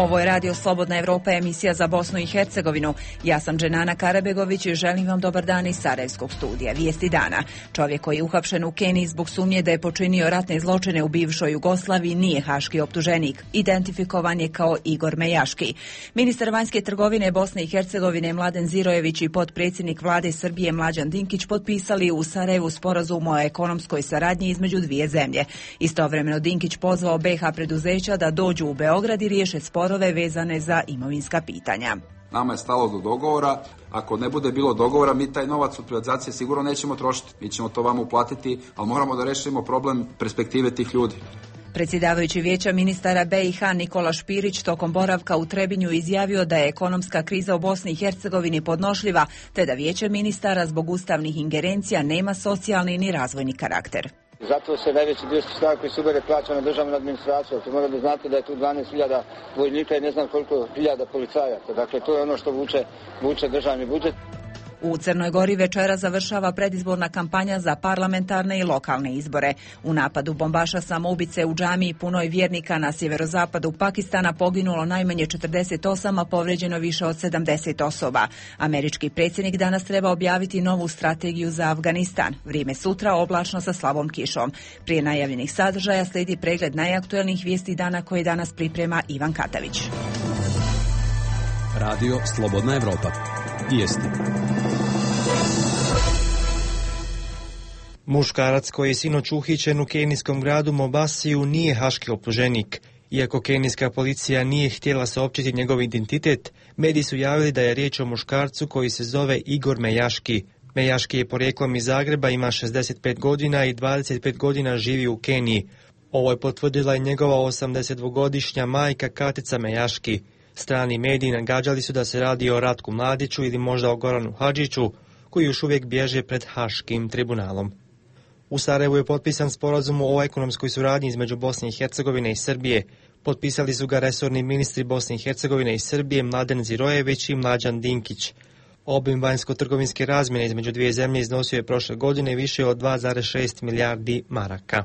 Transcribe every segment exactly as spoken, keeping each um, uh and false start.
Ovo je Radio Slobodna Evropa, emisija za Bosnu i Hercegovinu. Ja sam Dženana Karabegović i želim vam dobar dan iz Sarajevskog studija. Vijesti dana. Čovjek koji je uhapšen u Keniji zbog sumnje da je počinio ratne zločine u bivšoj Jugoslaviji nije haški optuženik. Identifikovan je kao Igor Mejaški. Ministar vanjske trgovine Bosne i Hercegovine Mladen Zirojević i potpredsjednik vlade Srbije Mlađan Dinkić potpisali u Sarajevu sporazum o ekonomskoj saradnji između dvije zemlje. Istovremeno Dinkić pozvao B iH preduzeća da dođu u Beograd i riješe sporove vezane za imovinska pitanja. Nama je stalo do dogovora. Ako ne bude bilo dogovora, mi taj novac od privatizacije sigurno nećemo trošiti. Mi ćemo to vama uplatiti, ali moramo da rešimo problem perspektive tih ljudi. Predsjedavajući vijeća ministara B iH Nikola Špirić tokom boravka u Trebinju izjavio da je ekonomska kriza u Bosni i Hercegovini podnošljiva, te da vijeće ministara zbog ustavnih ingerencija nema socijalni ni razvojni karakter. Zato se najveći dio sredstava koji se ubere plaća na državnu administraciju. To mora da znate da je tu dvanaest hiljada vojnika i ne znam koliko hiljada policajaca. Dakle, to je ono što vuče, vuče državni budžet. U Crnoj Gori večera završava predizborna kampanja za parlamentarne i lokalne izbore. U napadu bombaša samoubice u džamiji punoj vjernika na sjeverozapadu Pakistana poginulo najmanje četrdeset osam, a povrijeđeno više od sedamdeset osoba. Američki predsjednik danas treba objaviti novu strategiju za Afganistan. Vrijeme sutra oblačno sa slabom kišom. Prije najavljenih sadržaja slijedi pregled najaktuelnijih vijesti dana koje danas priprema Ivan Katavić. Radio Slobodna Evropa. Vijesti. Muškarac koji je sinoć uhićen u kenijskom gradu Mombasiju nije haški optuženik. Iako kenijska policija nije htjela saopćiti njegov identitet, mediji su javili da je riječ o muškarcu koji se zove Igor Mejaški. Mejaški je porijeklom iz Zagreba, ima šezdeset pet godina i dvadeset pet godina živi u Keniji. Ovo je potvrdila i njegova osamdesetdvogodišnja majka Katica Mejaški. Strani mediji nagađali su da se radi o Ratku Mladiću ili možda o Goranu Hadžiću, koji još uvijek bježe pred Haškim tribunalom. U Sarajevu je potpisan sporazum o ekonomskoj suradnji između Bosne i Hercegovine i Srbije. Potpisali su ga resorni ministri Bosne i Hercegovine i Srbije Mladen Zirojević i Mlađan Dinkić. Obim vanjsko-trgovinske razmjene između dvije zemlje iznosio je prošle godine više od dva zarez šest milijardi maraka.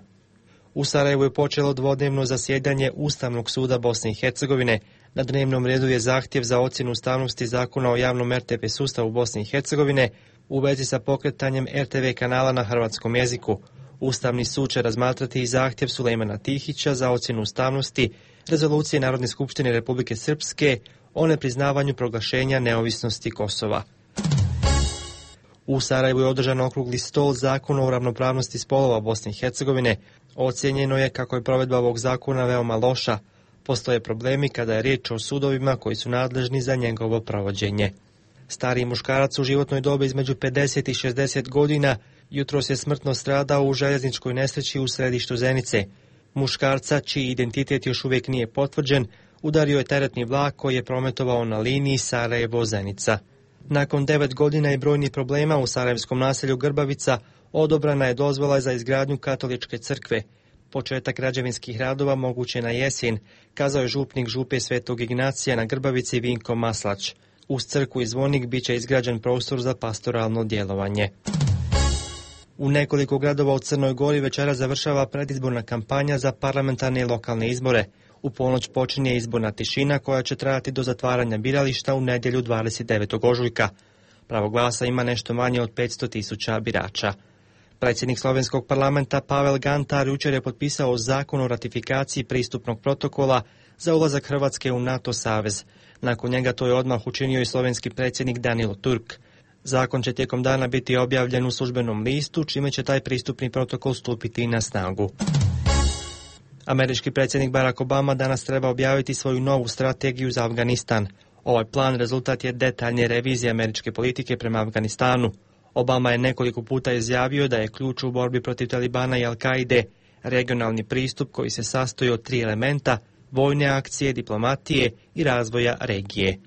U Sarajevu je počelo dvodnevno zasjedanje Ustavnog suda Bosne i Hercegovine. Na dnevnom redu je zahtjev za ocjenu ustavnosti zakona o javnom er te ve sustavu Bosne i Hercegovine u vezi sa pokretanjem er te ve kanala na hrvatskom jeziku. Ustavni sud će razmatrati i zahtjev Sulejmana Tihića za ocjenu ustavnosti Rezolucije Narodne skupštine Republike Srpske o nepriznavanju proglašenja neovisnosti Kosova. U Sarajevu je održan okrugli stol zakona o ravnopravnosti spolova Bosne i Hercegovine. Ocijenjeno je kako je provedba ovog zakona veoma loša. Postoje problemi kada je riječ o sudovima koji su nadležni za njegovo provođenje. Stariji muškarac u životnoj dobi između pedeset i šezdeset godina jutros je smrtno stradao u željezničkoj nesreći u središtu Zenice. Muškarca, čiji identitet još uvijek nije potvrđen, udario je teretni vlak koji je prometovao na liniji Sarajevo-Zenica. Nakon devet godina i brojnih problema u sarajevskom naselju Grbavica odobrana je dozvola za izgradnju katoličke crkve. Početak građevinskih radova moguće na jesen, kazao je župnik župe Svetog Ignacija na Grbavici Vinko Maslać. Uz crkvu i zvonik bit će izgrađen prostor za pastoralno djelovanje. U nekoliko gradova u Crnoj Gori večera završava predizborna kampanja za parlamentarne i lokalne izbore. U ponoć počinje izborna tišina koja će trajati do zatvaranja birališta u nedjelju dvadeset devetog ožujka. Pravo glasa ima nešto manje od petsto tisuća birača. Predsjednik slovenskog parlamenta Pavel Gantar jučer je potpisao zakon o ratifikaciji pristupnog protokola za ulazak Hrvatske u NATO savez. Nakon njega to je odmah učinio i slovenski predsjednik Danilo Turk. Zakon će tijekom dana biti objavljen u službenom listu, čime će taj pristupni protokol stupiti na snagu. Američki predsjednik Barack Obama danas treba objaviti svoju novu strategiju za Afganistan. Ovaj plan rezultat je detaljne revizije američke politike prema Afganistanu. Obama je nekoliko puta izjavio da je ključ u borbi protiv Talibana i Al-Kaide regionalni pristup koji se sastoji od tri elementa: vojne akcije, diplomatije i razvoja regije.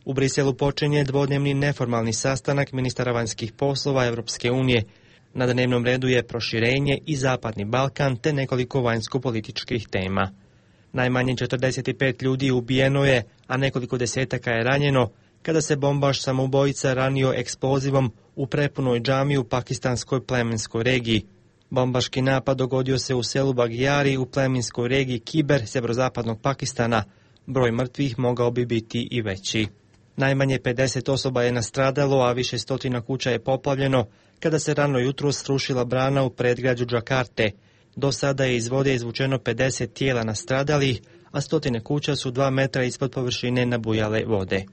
U Briselu počinje dvodnevni neformalni sastanak ministara vanjskih poslova Europske unije. Na dnevnom redu je proširenje i Zapadni Balkan te nekoliko vanjsko-političkih tema. Najmanje četrdeset pet ljudi ubijeno je, a nekoliko desetaka je ranjeno kada se bombaš samoubojica ranio eksplozivom u prepunoj džamiji u pakistanskoj plemenskoj regiji. Bombaški napad dogodio se u selu Bagjari u plemenskoj regiji Kiber, sjeverozapadnog Pakistana. Broj mrtvih mogao bi biti i veći. Najmanje pedeset osoba je nastradalo, a više stotina kuća je poplavljeno kada se rano jutro srušila brana u predgrađu Džakarte. Do sada je iz vode izvučeno pedeset tijela nastradalih, a stotine kuća su dva metra ispod površine nabujale vode.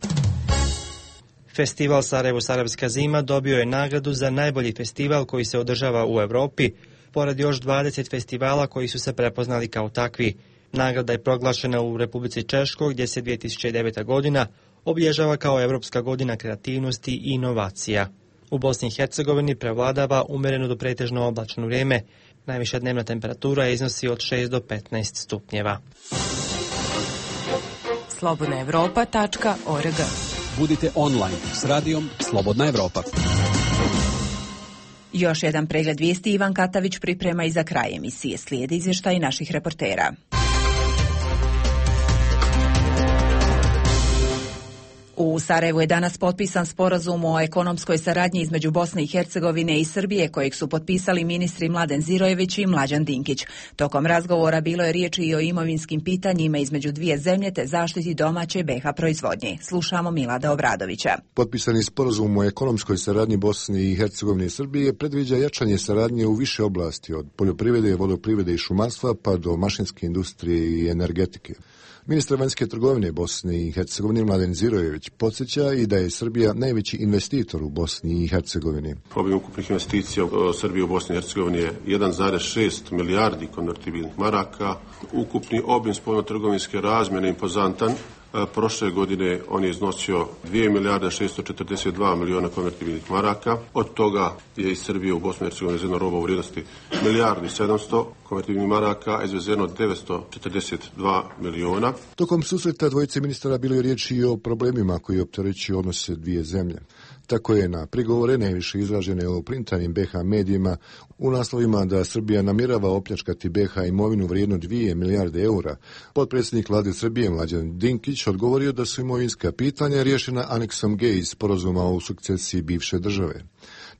Festival Sarajevo Sarajevska zima dobio je nagradu za najbolji festival koji se održava u Europi, pored još dvadeset festivala koji su se prepoznali kao takvi. Nagrada je proglašena u Republici Češkoj, gdje se dvije tisuće deveta godina obilježava kao Europska godina kreativnosti i inovacija. U Bosni i Hercegovini prevladava umjereno do pretežno oblačno vrijeme. Najviša dnevna temperatura iznosi od šest do petnaest stupnjeva. slobodna evropa tačka org. Budite online s radijom Slobodna Evropa. Još jedan pregled vijesti Ivan Katavić priprema i za kraj emisije. Slijedi izvještaj naših reportera. U Sarajevu je danas potpisan sporazum o ekonomskoj saradnji između Bosne i Hercegovine i Srbije, kojeg su potpisali ministri Mladen Zirojević i Mlađan Dinkić. Tokom razgovora bilo je riječi i o imovinskim pitanjima između dvije zemlje te zaštiti domaće B iH proizvodnje. Slušamo Milada Obradovića. Potpisani sporazum o ekonomskoj saradnji Bosne i Hercegovine i Srbije predviđa jačanje saradnje u više oblasti, od poljoprivrede, vodoprivrede i šumarstva pa do mašinske industrije i energetike. Ministar vanjske trgovine Bosne i Hercegovine Mladen Zirojević podsjeća i da je Srbija najveći investitor u Bosni i Hercegovini. Obim ukupnih investicija u Srbiji u Bosni i Hercegovini je jedan zarez šest milijardi konvertibilnih maraka. Ukupni obim spoljnotrgovinske razmjene impozantan. Prošle godine on je iznosio dvije milijarde šesto četrdeset dva miliona konvertibilnih maraka. Od toga je iz Srbije u Bosnu i Hercegovini izvezeno roba u vrijednosti milijardu i sedamsto konvertibilnih maraka, izvezeno devetsto četrdeset dva miliona. Tokom susreta dvojice ministara bilo je riječi i o problemima koji opterećuju odnose dvije zemlje. Tako je na prigovore najviše izražene o printanim B iH medijima u naslovima da Srbija namjerava opljačkati B iH imovinu vrijednu dvije milijarde eura. Potpredsjednik vlade Srbije Mlađan Dinkić odgovorio da su imovinska pitanja riješena aneksom G iz sporazuma o sukcesiji bivše države.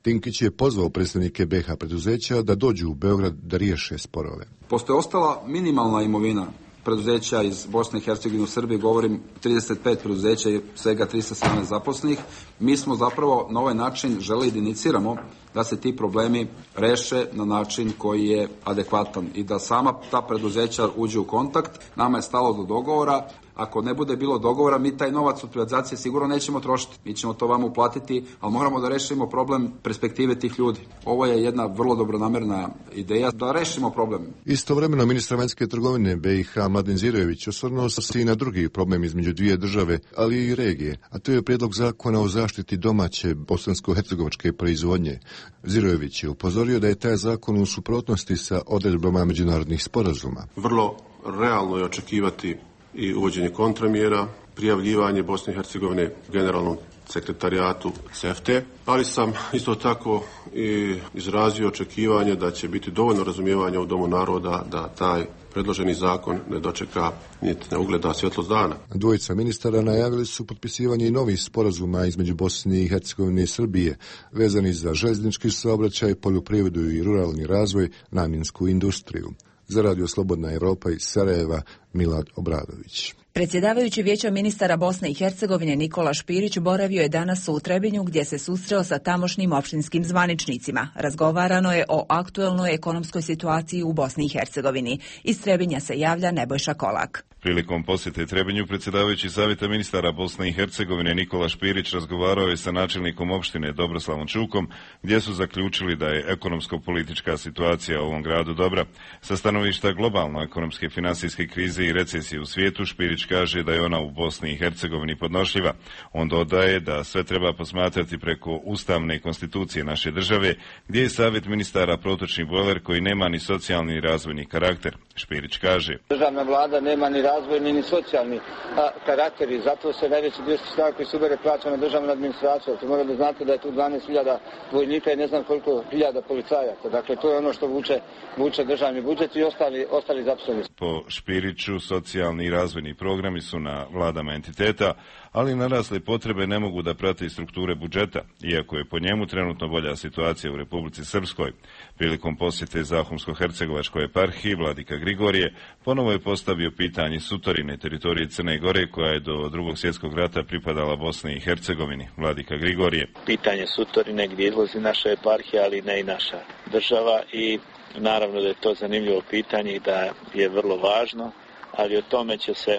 Dinkić je pozvao predstavnike B iH preduzeća da dođu u Beograd da riješe sporove. Postoje ostala minimalna imovina preduzeća iz Bosne i Hercegovine u Srbiji, govorim trideset pet preduzeća i svega tristo sedamnaest zaposlenih. Mi smo zapravo na ovaj način želeli da iniciramo da se ti problemi reše na način koji je adekvatan i da sama ta preduzeća uđu u kontakt. Nama je stalo do dogovora. Ako ne bude bilo dogovora, mi taj novac od privatizacije sigurno nećemo trošiti. Mi ćemo to vama uplatiti, ali moramo da rešimo problem perspektive tih ljudi. Ovo je jedna vrlo dobronamerna ideja da rešimo problem. Istovremeno ministar vanjske trgovine B iH Mladen Zirojević osvrnuo se i na drugi problem između dvije države, ali i regije, a to je prijedlog zakona o zaštiti domaće bosansko-hercegovačke proizvodnje. Zirojević je upozorio da je taj zakon u suprotnosti sa odredbama međunarodnih sporazuma. Vrlo realno je očekivati i uvođenje kontramjera, prijavljivanje Bosne i Hercegovine generalnom sekretarijatu C E F T E, ali sam isto tako i izrazio očekivanje da će biti dovoljno razumijevanja u Domu naroda da taj predloženi zakon ne dočeka niti ne ugleda svjetlost dana. Dvojica ministara najavili su potpisivanje i novih sporazuma između Bosne i Hercegovine i Srbije, vezani za željeznički saobraćaj, poljoprivredu i ruralni razvoj, namjensku industriju. Za Radio Slobodna Evropa iz Sarajeva, Milad Obradović. Predsjedavajući Vijeća ministara Bosne i Hercegovine Nikola Špirić boravio je danas u Trebinju gdje se susreo sa tamošnjim opštinskim zvaničnicima. Razgovarano je o aktuelnoj ekonomskoj situaciji u Bosni i Hercegovini. Iz Trebinja se javlja Nebojša Kolak. Prilikom posjete Trebinju predsjedavajući Savjeta ministara Bosne i Hercegovine Nikola Špirić razgovarao je sa načelnikom opštine Dobroslavom Čukom, gdje su zaključili da je ekonomsko-politička situacija u ovom gradu dobra. Sa stanovišta globalno ekonomske i finansijske krize i recesije u svijetu, Špirić kaže da je ona u Bosni i Hercegovini podnošljiva. On dodaje da sve treba posmatrati preko ustavne konstitucije naše države, gdje je Savjet ministara protočni bojler koji nema ni socijalni ni razvojni karakter. Špirić kaže: Državna vlada nema ni razvojni ni socijalni a, karakter i zato se najveći dio sredstava koji se ubere plaća na državnu administraciju. To mora da znate da je tu dvanaest hiljada vojnika i ne znam koliko hiljada policajaca. Dakle, to je ono što vuče, vuče državni budžet i ostali, ostali zaposleni. Po Špiriću području, socijalni i razvojni programi su na vladama entiteta, ali narasle potrebe ne mogu da prate i strukture budžeta, iako je po njemu trenutno bolja situacija u Republici Srpskoj. Prilikom posjete Zahumsko-hercegovačkoj eparhiji vladika Grigorije ponovo je postavio pitanje sutorine teritorije Crne Gore koja je do drugog svjetskog rata pripadala Bosni i Hercegovini. Vladika Grigorije. Pitanje sutorine gdje izlazi naša eparhija, ali ne i naša država, i naravno da je to zanimljivo pitanje i da je vrlo važno, ali o tome će se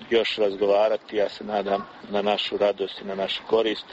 još razgovarati, ja se nadam, na našu radost i na našu korist.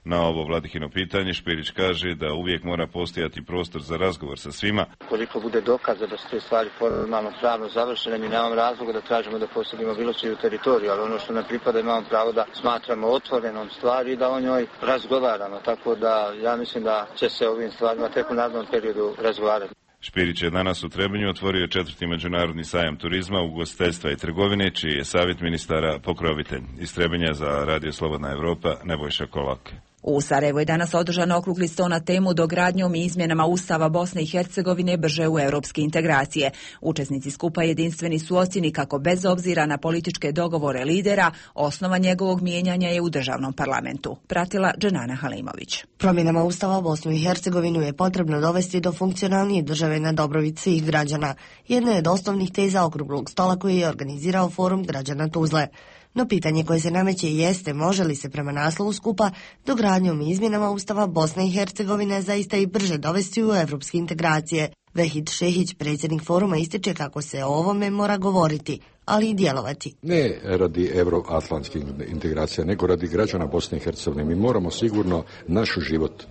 Na ovo Vladikino pitanje Špirić kaže da uvijek mora postojati prostor za razgovor sa svima. Koliko bude dokaza da su te stvari formalno pravno završene, mi nemamo razloga da tražimo da posjedimo bilo čiju teritoriju, ali ono što nam pripada imamo pravo da smatramo otvorenom stvari i da o njoj razgovaramo, tako da ja mislim da će se ovim stvarima tek u narednom periodu razgovarati. Špirić je danas u Trebinju otvorio četvrti međunarodni sajam turizma, ugostiteljstva i trgovine, čiji je savjet ministara pokrovitelj. Iz Trebinja za Radio Slobodna Evropa, Nebojša Kolak. U Sarajevu je danas održan okrugli sto na temu dogradnjom i izmjenama Ustava Bosne i Hercegovine brže u europske integracije. Učesnici skupa jedinstveni su ocjeni kako bez obzira na političke dogovore lidera, osnova njegovog mijenjanja je u državnom parlamentu. Pratila Dženana Halimović. Promjenama Ustava Bosnu i Hercegovinu je potrebno dovesti do funkcionalnije države na dobrobit svih građana. Jedna je od osnovnih teza okruglog stola koji je organizirao Forum građana Tuzle. No pitanje koje se nameće jeste može li se prema naslovu skupa dogradnjom i izmjenama Ustava Bosne i Hercegovine zaista i brže dovesti u evropske integracije. Vehid Šehić, predsjednik foruma, ističe kako se o ovome mora govoriti, ali i djelovati. Ne radi euroatlantskih integracija, nego radi građana Bosne i Hercegovine. Mi moramo sigurno naš život,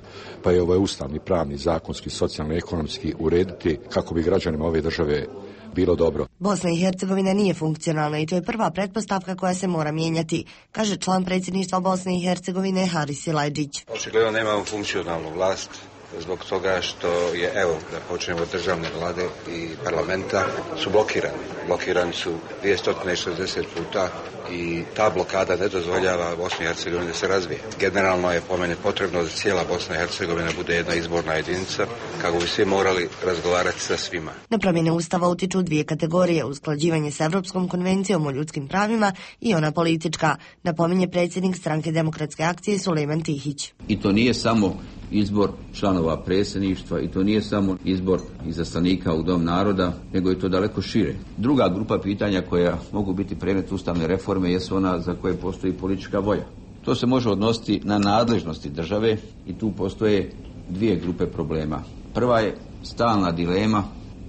pa je ovaj ustavni, pravni, zakonski, socijalni, ekonomski urediti kako bi građanima ove države bilo dobro. Bosna i Hercegovina nije funkcionalna i to je prva pretpostavka koja se mora mijenjati, kaže član predsjedništva Bosne i Hercegovine Haris Silajdžić. Očigledno nemamo funkcionalnu vlast zbog toga što je, evo, da počnemo od državne vlade i parlamenta, su blokirani. Blokirani su dvjesto šezdeset puta i ta blokada ne dozvoljava Bosni i Hercegovini da se razvije. Generalno je po meni potrebno da cijela Bosna i Hercegovina bude jedna izborna jedinica, kako bi svi morali razgovarati sa svima. Na promjene Ustava utiču dvije kategorije, usklađivanje s Evropskom konvencijom o ljudskim pravima i ona politička, napominje predsjednik Stranke demokratske akcije Sulejman Tihić. I to nije samo izbor članova predsjedništva i to nije samo izbor izaslanika u Dom naroda, nego je to daleko šire. Druga grupa pitanja koja mogu biti predmet ustavne reforme jesu ona za koje postoji politička volja. To se može odnositi na nadležnosti države i tu postoje dvije grupe problema. Prva je stalna dilema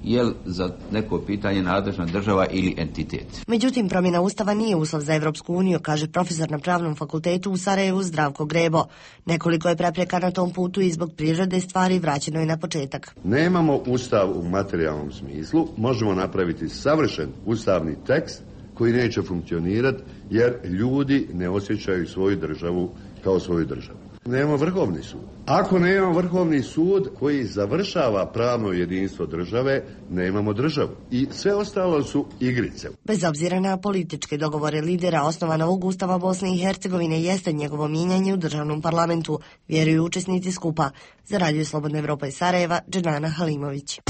je li za neko pitanje nadležna država ili entitet. Međutim, promjena Ustava nije uslov za Evropsku uniju, kaže profesor na Pravnom fakultetu u Sarajevu Zdravko Grebo. Nekoliko je prepreka na tom putu i zbog prirode stvari vraćeno je na početak. Nemamo Ustav u materijalnom smislu, možemo napraviti savršen ustavni tekst koji neće funkcionirati jer ljudi ne osjećaju svoju državu kao svoju državu. Nemamo vrhovni sud. Ako nemamo vrhovni sud koji završava pravno jedinstvo države, nemamo državu. I sve ostalo su igrice. Bez obzira na političke dogovore lidera, osnova novog Ustava Bosne i Hercegovine jeste njegovo mijenjanje u državnom parlamentu, vjeruju učesnici skupa. Za Radio Slobodna Evropa iz Sarajeva, Dženana Halimović.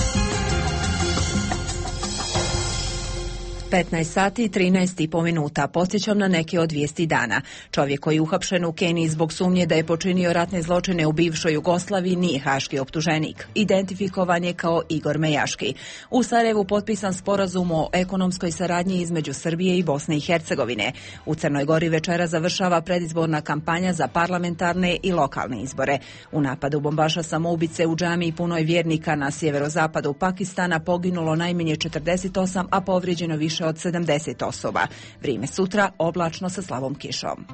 petnaest sati i trinaest i po minuta. Podsjećam na neke od vijesti dana. Čovjek koji je uhapšen u Keniji zbog sumnje da je počinio ratne zločine u bivšoj Jugoslaviji nije haški optuženik. Identifikovan je kao Igor Mejaški. U Sarajevu potpisan sporazum o ekonomskoj saradnji između Srbije i Bosne i Hercegovine. U Crnoj Gori večera završava predizborna kampanja za parlamentarne i lokalne izbore. U napadu bombaša samoubice u džamiji punoj vjernika na sjeverozapadu Pakistana poginulo najmanje četrdeset osam, a povrijeđeno više od sedamdeset osoba. Vrijeme sutra oblačno sa slabom kišom.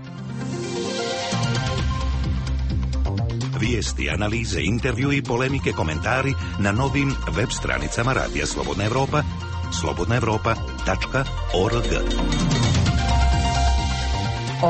Vijesti, analize, intervju i polemike, komentari na novim web stranicama Radija Slobodna Evropa, slobodna evropa tačka org.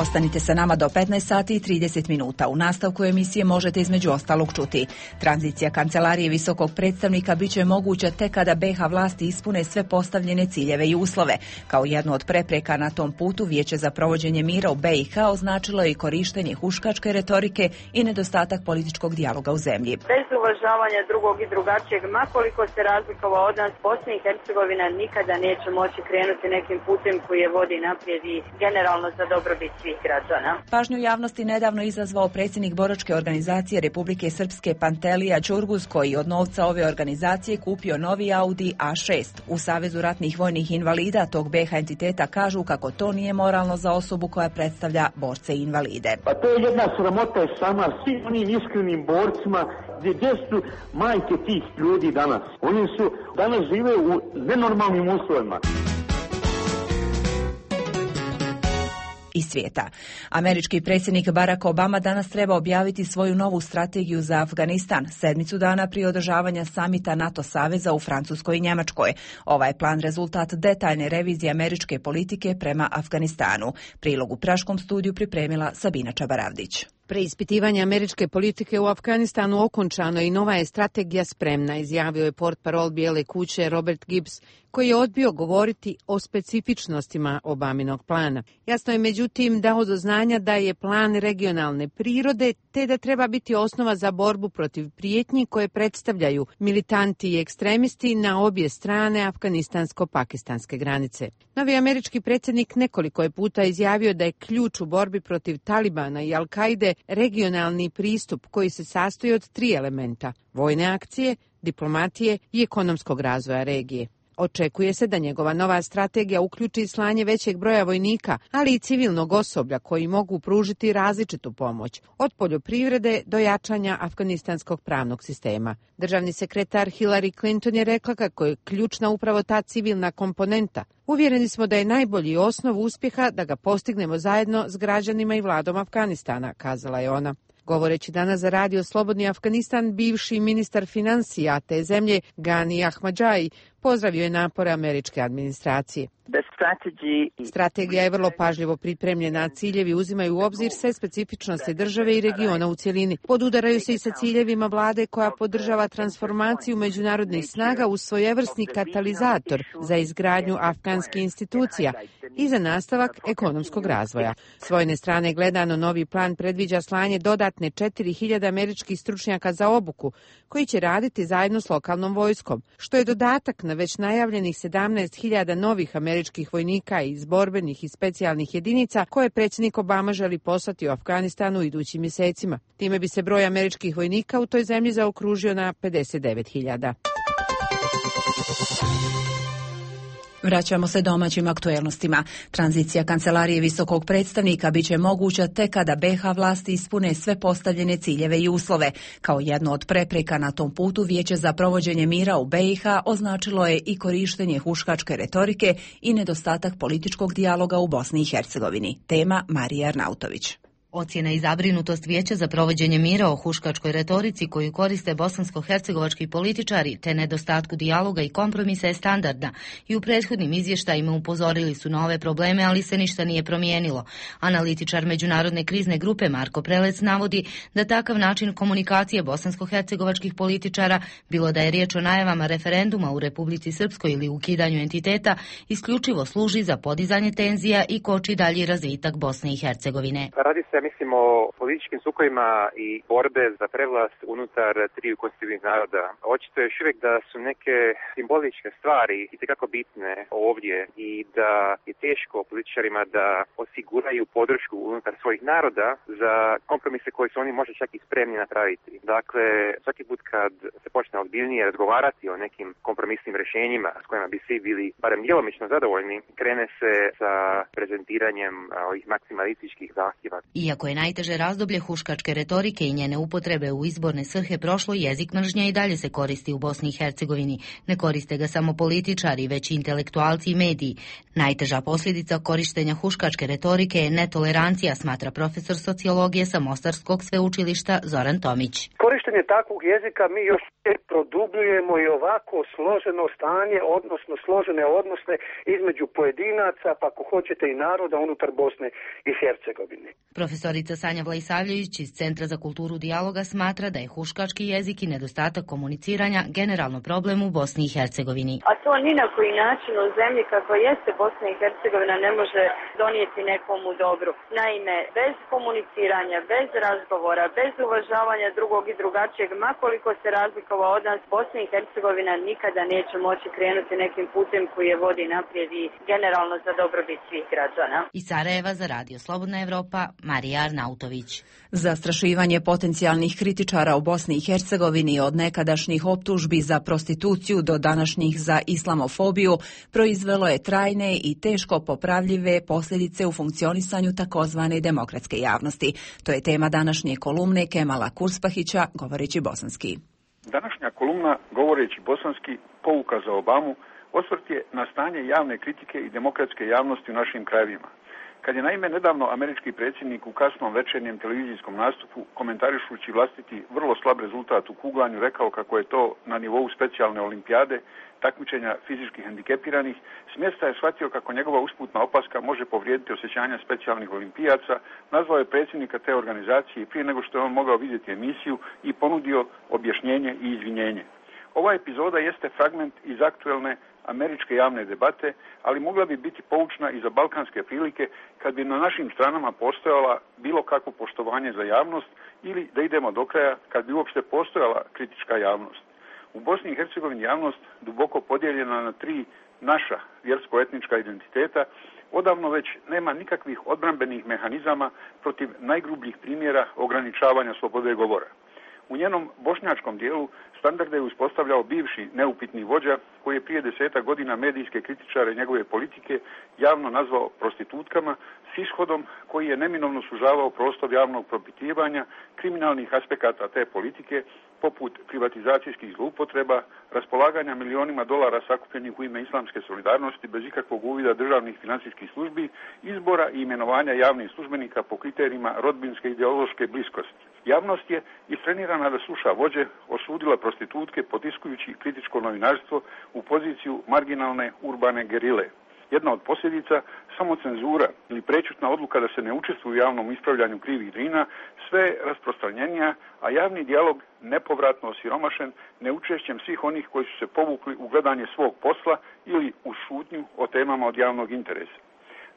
Ostanite sa nama do petnaest sati i trideset minuta. U nastavku emisije možete između ostalog čuti. Tranzicija Kancelarije visokog predstavnika biće moguća tek kada B H vlasti ispune sve postavljene ciljeve i uslove. Kao jednu od prepreka na tom putu Vijeće za provođenje mira u B I H označilo je i korištenje huškačke retorike i nedostatak političkog dijaloga u zemlji. Bez uvažavanja drugog i drugačijeg, makoliko se razlikovao od nas, Bosna i Hercegovina nikada neće moći krenuti nekim putem koji je vodi naprijed i generalno za dobrobit svih građana. Pažnju javnosti nedavno izazvao predsjednik boračke organizacije Republike Srpske Pantelija Ćurguz, koji od novca ove organizacije kupio novi Audi A šest. U Savezu ratnih vojnih invalida tog B H entiteta kažu kako to nije moralno za osobu koja predstavlja borce i invalide. Pa to je jedna sramota sama svim onim iskrenim borcima. Gdje su majke tih ljudi danas? Oni su danas žive u nenormalnim uslovima. Iz svijeta. Američki predsjednik Barack Obama danas treba objaviti svoju novu strategiju za Afganistan, sedmicu dana prije održavanja samita NATO saveza u Francuskoj i Njemačkoj. Ovaj je plan rezultat detaljne revizije američke politike prema Afganistanu. Prilog u Praškom studiju pripremila Sabina Čabaravdić. Preispitivanje američke politike u Afganistanu okončano i nova je strategija spremna, izjavio je portparol Bijele kuće Robert Gibbs, koji je odbio govoriti o specifičnostima Obaminog plana. Jasno je međutim dao do znanja da je plan regionalne prirode, te da treba biti osnova za borbu protiv prijetnji koje predstavljaju militanti i ekstremisti na obje strane afganistansko-pakistanske granice. Novi američki predsjednik nekoliko je puta izjavio da je ključ u borbi protiv Talibana i Al-Kaide regionalni pristup koji se sastoji od tri elementa: vojne akcije, diplomatije i ekonomskog razvoja regije. Očekuje se da njegova nova strategija uključi slanje većeg broja vojnika, ali i civilnog osoblja koji mogu pružiti različitu pomoć, od poljoprivrede do jačanja afganistanskog pravnog sistema. Državni sekretar Hillary Clinton je rekla kako je ključna upravo ta civilna komponenta. Uvjereni smo da je najbolji osnov uspjeha da ga postignemo zajedno s građanima i vladom Afganistana, kazala je ona. Govoreći danas za radio Slobodni Afganistan, bivši ministar financija te zemlje Gani Ahmadžai pozdravio je napore američke administracije. Strategija je vrlo pažljivo pripremljena, a ciljevi uzimaju u obzir sve specifičnosti države i regiona u cjelini. Podudaraju se i sa ciljevima vlade koja podržava transformaciju međunarodnih snaga u svojevrsni katalizator za izgradnju afganskih institucija i za nastavak ekonomskog razvoja. S vojne strane gledano, novi plan predviđa slanje dodatne četiri hiljade američkih stručnjaka za obuku, koji će raditi zajedno s lokalnom vojskom, što je dodatak na već najavljenih sedamnaest hiljada novih američkih vojnika iz borbenih i specijalnih jedinica koje predsjednik Obama želi poslati u Afganistanu u idućim mjesecima. Time bi se broj američkih vojnika u toj zemlji zaokružio na pedeset devet hiljada. Vraćamo se domaćim aktuelnostima. Tranzicija Kancelarije visokog predstavnika biće moguća tek kada B H vlasti ispune sve postavljene ciljeve i uslove. Kao jedno od prepreka na tom putu Vijeće za provođenje mira u B I H označilo je i korištenje huškačke retorike i nedostatak političkog dijaloga u Bosni i Hercegovini. Tema Marija Arnautović. Ocjena i zabrinutost Vijeća za provođenje mira o huškačkoj retorici koju koriste bosansko-hercegovački političari te nedostatku dijaloga i kompromisa je standardna i u prethodnim izvještajima upozorili su na ove probleme, ali se ništa nije promijenilo. Analitičar Međunarodne krizne grupe Marko Prelec navodi da takav način komunikacije bosansko-hercegovačkih političara, bilo da je riječ o najavama referenduma u Republici Srpskoj ili ukidanju entiteta, isključivo služi za podizanje tenzija i koči dalji razvitak Bosne i Hercegovine. Radi se, mislim, o političkim sukojima i borbe za prevlast unutar triju konstitutivnih naroda. Očito je još uvijek da su neke simboličke stvari itekako bitne ovdje i da je teško političarima da osiguraju podršku unutar svojih naroda za kompromise koji su oni možda čak i spremni napraviti. Dakle, svaki put kad se počne ozbiljnije razgovarati o nekim kompromisnim rješenjima s kojima bi svi bili barem djelomično zadovoljni, krene se sa prezentiranjem ovih maksimalističkih zahtjeva. Iako je najteže razdoblje huškačke retorike i njene upotrebe u izborne svrhe prošlo, jezik mržnje i dalje se koristi u Bosni i Hercegovini. Ne koriste ga samo političari, već i intelektualci i mediji. Najteža posljedica korištenja huškačke retorike je netolerancija, smatra profesor sociologije sa Mostarskog sveučilišta Zoran Tomić. Korištenje takvog jezika mi još produbljujemo i ovako složeno stanje, odnosno složene odnose između pojedinaca, pa ako hoćete i naroda unutar Bosne i Hercegovine. Profesorica Sanja Vlajsavljević iz Centra za kulturu dijaloga smatra da je huškački jezik i nedostatak komuniciranja generalno problem u Bosni i Hercegovini. A to ni na koji način u zemlji kako jeste Bosna i Hercegovina ne može donijeti nekomu dobru. Naime, bez komuniciranja, bez razgovora, bez uvažavanja drugog i drugačijeg, makoliko se razlikovao od nas, Bosna i Hercegovina nikada neće moći krenuti nekim putem koji je vodi naprijed i generalno za dobrobit svih građana. Iz Sarajeva za Radio Slobodna Evropa, Marija Arnautović. Zastrašivanje potencijalnih kritičara u Bosni i Hercegovini od nekadašnjih optužbi za prostituciju do današnjih za islamofobiju proizvelo je trajne i teško popravljive posljedice u funkcionisanju takozvane demokratske javnosti. To je tema današnje kolumne Kemala Kurspahića, govoreći bosanski. Današnja kolumna, govoreći bosanski, pouka za Obamu, osvrt je na stanje javne kritike i demokratske javnosti u našim krajevima. Kad je naime nedavno američki predsjednik u kasnom večernjem televizijskom nastupu, komentarišući vlastiti vrlo slab rezultat u kuglanju, rekao kako je to na nivou specijalne olimpijade, takmičenja fizički hendikepiranih, s mjesta je shvatio kako njegova usputna opaska može povrijediti osjećanja specijalnih olimpijaca, nazvao je predsjednika te organizacije prije nego što je on mogao vidjeti emisiju i ponudio objašnjenje i izvinjenje. Ova epizoda jeste fragment iz aktuelne američke javne debate, ali mogla bi biti poučna i za balkanske prilike kad bi na našim stranama postojala bilo kakvo poštovanje za javnost ili, da idemo do kraja, kad bi uopšte postojala kritička javnost. U Bosni i Hercegovini javnost, duboko podijeljena na tri naša vjersko-etnička identiteta, odavno već nema nikakvih odbrambenih mehanizama protiv najgrubljih primjera ograničavanja slobode govora. U njenom bošnjačkom dijelu standarde je uspostavljao bivši neupitni vođa koji je prije desetak godina medijske kritičare njegove politike javno nazvao prostitutkama s ishodom koji je neminovno sužavao prostor javnog propitivanja kriminalnih aspekata te politike poput privatizacijskih zloupotreba, raspolaganja milionima dolara sakupljenih u ime islamske solidarnosti bez ikakvog uvida državnih financijskih službi, izbora i imenovanja javnih službenika po kriterijima rodbinske ideološke bliskosti. Javnost je istrenirana da sluša vođe, osudila prostitutke potiskujući kritičko novinarstvo u poziciju marginalne urbane gerile. Jedna od posljedica, samo cenzura ili prečutna odluka da se ne učestvuje u javnom ispravljanju krivih drina, sve je rasprostranjenija, a javni dijalog nepovratno osiromašen neučešćem svih onih koji su se povukli u gledanje svog posla ili u šutnju o temama od javnog interesa.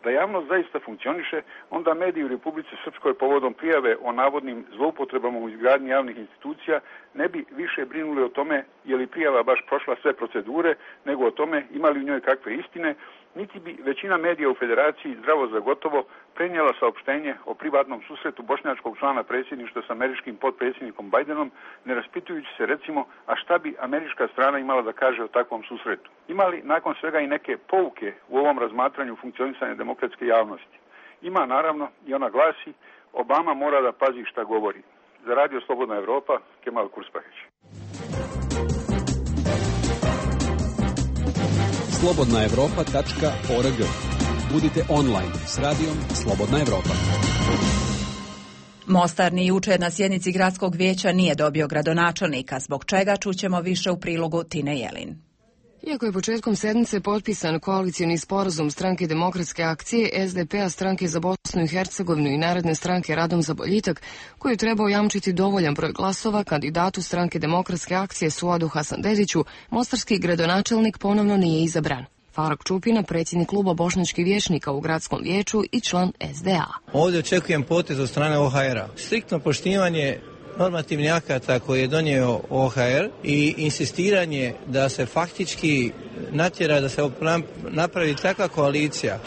Da javnost zaista funkcioniše, onda mediji u Republici Srpskoj povodom prijave o navodnim zloupotrebama u izgradnji javnih institucija ne bi više brinuli o tome je li prijava baš prošla sve procedure, nego o tome ima li u njoj kakve istine, niti bi većina medija u Federaciji zdravo za gotovo prenijela saopštenje o privatnom susretu bošnjačkog člana predsjedništva s američkim potpredsjednikom Bajdenom, ne raspitujući se recimo, a šta bi američka strana imala da kaže o takvom susretu. Ima li nakon svega i neke pouke u ovom razmatranju funkcionisanja demokratske javnosti? Ima naravno i ona glasi, Obama mora da pazi šta govori. Za Radio Slobodna Evropa, Kemal Kurspahić. slobodna evropa tačka org. Budite online s radijom Slobodna Evropa. Mostar ni jučer na sjednici gradskog vijeća nije dobio gradonačelnika, zbog čega čućemo više u prilogu Tine Jelin. Iako je početkom sedmice potpisan koalicijni sporazum Stranke demokratske akcije, es de pe a, Stranke za Bosnu i Hercegovinu i Narodne stranke Radom za boljitak, koji je trebao jamčiti dovoljan broj glasova kandidatu Stranke demokratske akcije Suadu Hasanbegiću, mostarski gradonačelnik ponovno nije izabran. Faruk Čupina, predsjednik kluba bošnjačkih vijećnika u gradskom vijeću i član es de a. Ovdje očekujem potez od strane o ha er a. Striktno poštivanje normativnih akata koje je donio o ha er i insistiranje da se faktički natjera da se napravi takva koalicija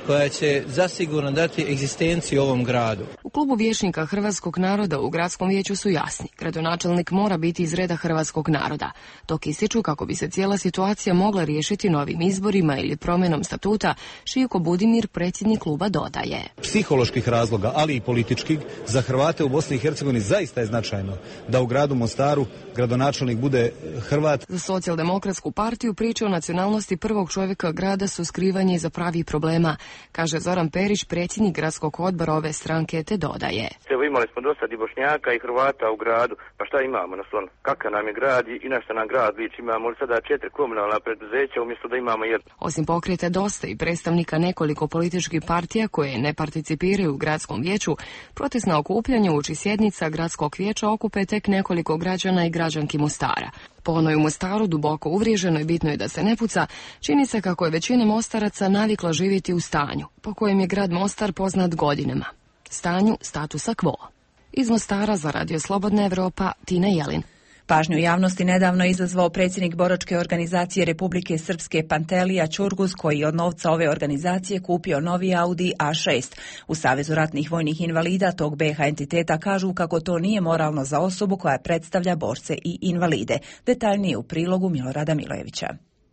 koja će zasigurno dati egzistenciju ovom gradu. U klubu vijećnika hrvatskog naroda u gradskom vijeću su jasni. Gradonačelnik mora biti iz reda hrvatskog naroda. Dok ističu kako bi se cijela situacija mogla riješiti novim izborima ili promjenom statuta, Šijko Budimir, predsjednik kluba, dodaje. Psiholoških razloga, ali i političkih, za Hrvate u Bosni i Hercegovini zaista je značajno da u gradu Mostaru gradonačelnik bude Hrvat. Za Socijaldemokratsku partiju priče o nacionalnosti prvog čovjeka grada su skrivanje iza pravih problema, kaže Zoran Perić, predsjednik gradskog odbora ove stranke, te dodaje. Evo imali smo dosta i Bošnjaka i Hrvata u gradu, pa šta imamo na slonu? Kakav nam je grad i na šta nam grad liči? Imamo li sada četiri komunalna preduzeća umjesto da imamo jedno? Osim pokreta Dosta i predstavnika nekoliko političkih partija koje ne participiraju u gradskom vijeću, protestna okupljanja uoči sjednica gradskog vijeća okupe tek nekoliko građana i građanki Mostara. Po onoj u Mostaru duboko uvriježeno i bitno je da se ne puca, čini se kako je većina Mostaraca navikla živjeti u stanju, po kojem je grad Mostar poznat godinama. Stanju statusa quo. Iz Mostara za Radio Slobodna Evropa, Tina Jelin. Pažnju javnosti nedavno izazvao predsjednik boračke organizacije Republike Srpske Pantelija Ćurguz, koji je od novca ove organizacije kupio novi Audi A šest. U Savezu ratnih vojnih invalida tog B H entiteta kažu kako to nije moralno za osobu koja predstavlja borce i invalide. Detaljnije u prilogu Milorada Milojevića.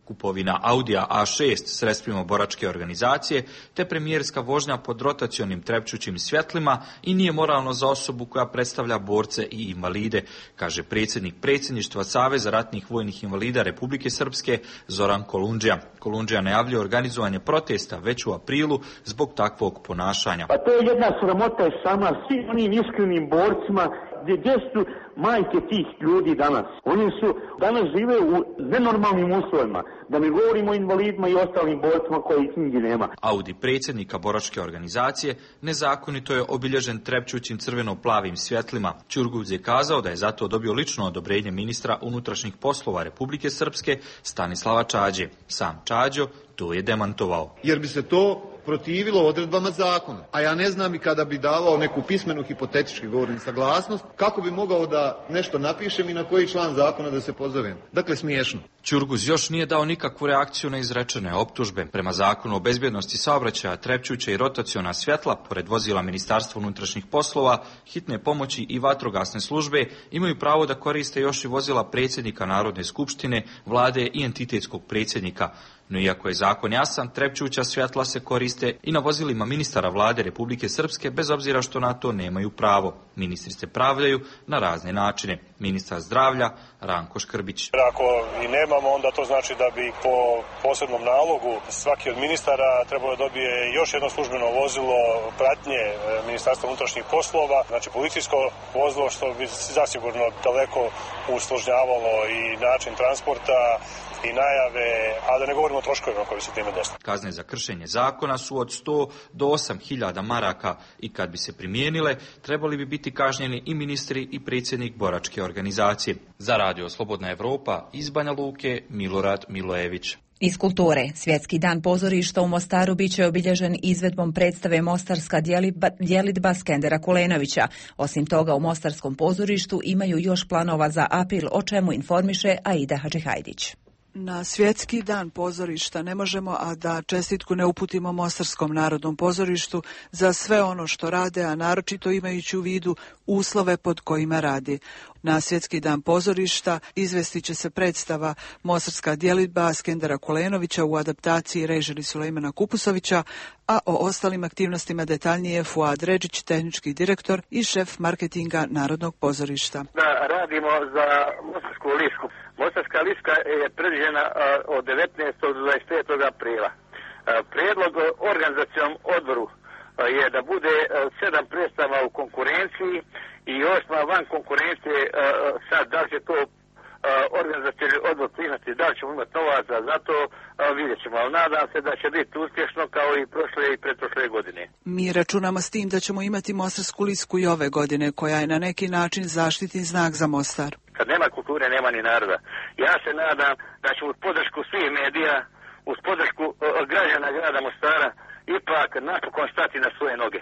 Kupovina Audija A šest sredstvima boračke organizacije te premijerska vožnja pod rotacionim trepćućim svjetlima i nije moralno za osobu koja predstavlja borce i invalide, kaže predsjednik predsjedništva Saveza ratnih vojnih invalida Republike Srpske Zoran Kolundžija. Kolundžija najavljuje organizovanje protesta već u aprilu zbog takvog ponašanja. Pa to je jedna sramota je sama svim onim iskrenim borcima gdje, gdje su majke tih ljudi danas. Oni su danas žive u nenormalnim uslovima. Da mi govorimo o invalidima i ostalim borcima koji knjigi nema. Audi predsjednika boračke organizacije nezakonito je obilježen trepćućim crveno-plavim svjetlima. Ćurguz je kazao da je zato dobio lično odobrenje ministra unutrašnjih poslova Republike Srpske Stanislava Čađe. Sam Čađo to je demantovao. Jer bi se to protivilo odredbama zakona. A ja ne znam i kada bi davao neku pismenu hipotetički govorim saglasnost, kako bi mogao da nešto napišem i na koji član zakona da se pozovem. Dakle, smiješno. Ćurguz još nije dao nikakvu reakciju na izrečene optužbe. Prema zakonu o bezbjednosti saobraćaja, trepćuća i rotaciona svjetla, pored vozila Ministarstva unutrašnjih poslova, hitne pomoći i vatrogasne službe, imaju pravo da koriste još i vozila predsjednika Narodne skupštine, vlade i entitetskog predsjednika. No iako je zakon jasan, trepćuća svjetla se koriste i na vozilima ministara vlade Republike Srpske, bez obzira što na to nemaju pravo. Ministri se pravdaju na razne načine. Ministar zdravlja Ranko Škrbić. Ako i nemamo, onda to znači da bi po posebnom nalogu svaki od ministara trebao da dobije još jedno službeno vozilo pratnje Ministarstva unutrašnjih poslova, znači policijsko vozilo, što bi zasigurno daleko usložnjavalo i način transporta i najave, a da ne govorimo o troškovima koji se time desili. Kazne za kršenje zakona su od sto do osam hiljada maraka i kad bi se primijenile, trebali bi biti kažnjeni i ministri i predsjednik boračke organizacije. Za Radio Slobodna Evropa iz Banja Luke, Milorad Milojević. Iz kulture, Svjetski dan pozorišta u Mostaru biće obilježen izvedbom predstave Mostarska djelidba Skendera Kulenovića. Osim toga, u Mostarskom pozorištu imaju još planova za april, o čemu informiše Aida Hadžihajdić. Na Svjetski dan pozorišta ne možemo, a da čestitku ne uputimo Mostarskom narodnom pozorištu za sve ono što rade, a naročito imajući u vidu uslove pod kojima radi. Na Svjetski dan pozorišta izvestit će se predstava Mostarska djelidba Skendera Kulenovića u adaptaciji režili Sulejmana Kupusovića, a o ostalim aktivnostima detaljnije Fuad Redžić, tehnički direktor i šef marketinga Narodnog pozorišta. Da radimo za Mostarsku lisku. Mostarska liska je predviđena od devetnaestog do dvadeset petog aprila. Prijedlog organizacijom odboru je da bude sedam predstava u konkurenciji i osma van konkurencije. Sad, da li će to organizacijni odbor prihvatiti, da li ćemo imati novaca, za to vidjet ćemo, ali nadam se da će biti uspješno kao i prošle i pretprošle godine. Mi računamo s tim da ćemo imati Mostarsku lisku i ove godine, koja je na neki način zaštitni znak za Mostar. Kad nema kulture, nema ni naroda. Ja se nadam da ćemo uz podršku svih medija, uz podršku građana grada Mostara, ipak napokon stati na svoje noge.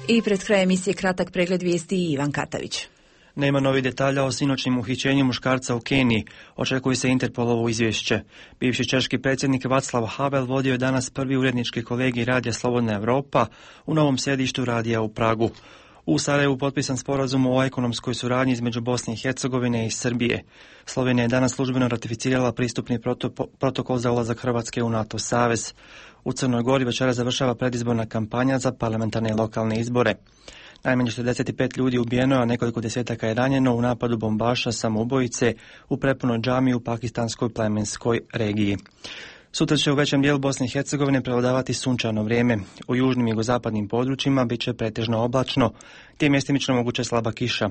I pred krajem emisije kratak pregled vijesti i Ivan Katavić. Nema novih detalja o sinoćnim uhićenju muškarca u Keniji. Očekuje se Interpolovo izvješće. Bivši češki predsjednik Václav Havel vodio je danas prvi urednički kolegij Radija Slobodna Evropa u novom sjedištu radija u Pragu. U Sarajevu potpisan sporazum o ekonomskoj suradnji između Bosne i Hercegovine i Srbije. Slovenija je danas službeno ratificirala pristupni protokol za ulazak Hrvatske u NATO savez. U Crnoj Gori večera završava predizborna kampanja za parlamentarne i lokalne izbore. Najmanje četrdeset pet ljudi ubijeno, a nekoliko desetaka je ranjeno u napadu bombaša samoubojice u prepunoj džamiji u pakistanskoj plemenskoj regiji. Sutra će u većem dijelu Bosne i Hercegovine prevladavati sunčano vrijeme. U južnim i jugozapadnim područjima bit će pretežno oblačno, te mjestimično moguće slaba kiša.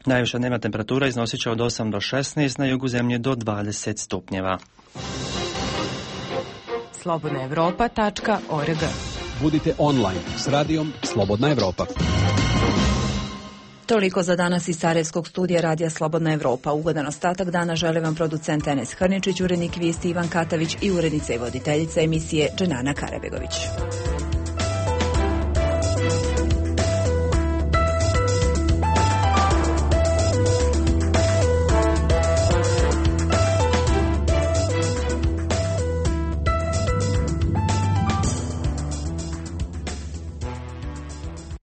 Najviša dnevna temperatura iznosit će od osam do šesnaest, na jugu zemlje do dvadeset stupnjeva. slobodna evropa tačka org. Budite online s radijom Slobodna Evropa. Toliko za danas iz Sarajevskog studija Radija Slobodna Evropa. Ugodan ostatak dana žele vam producent Enes Hrničić, urednik vijesti Ivan Katavić i urednica i voditeljica emisije Dženana Karabegović.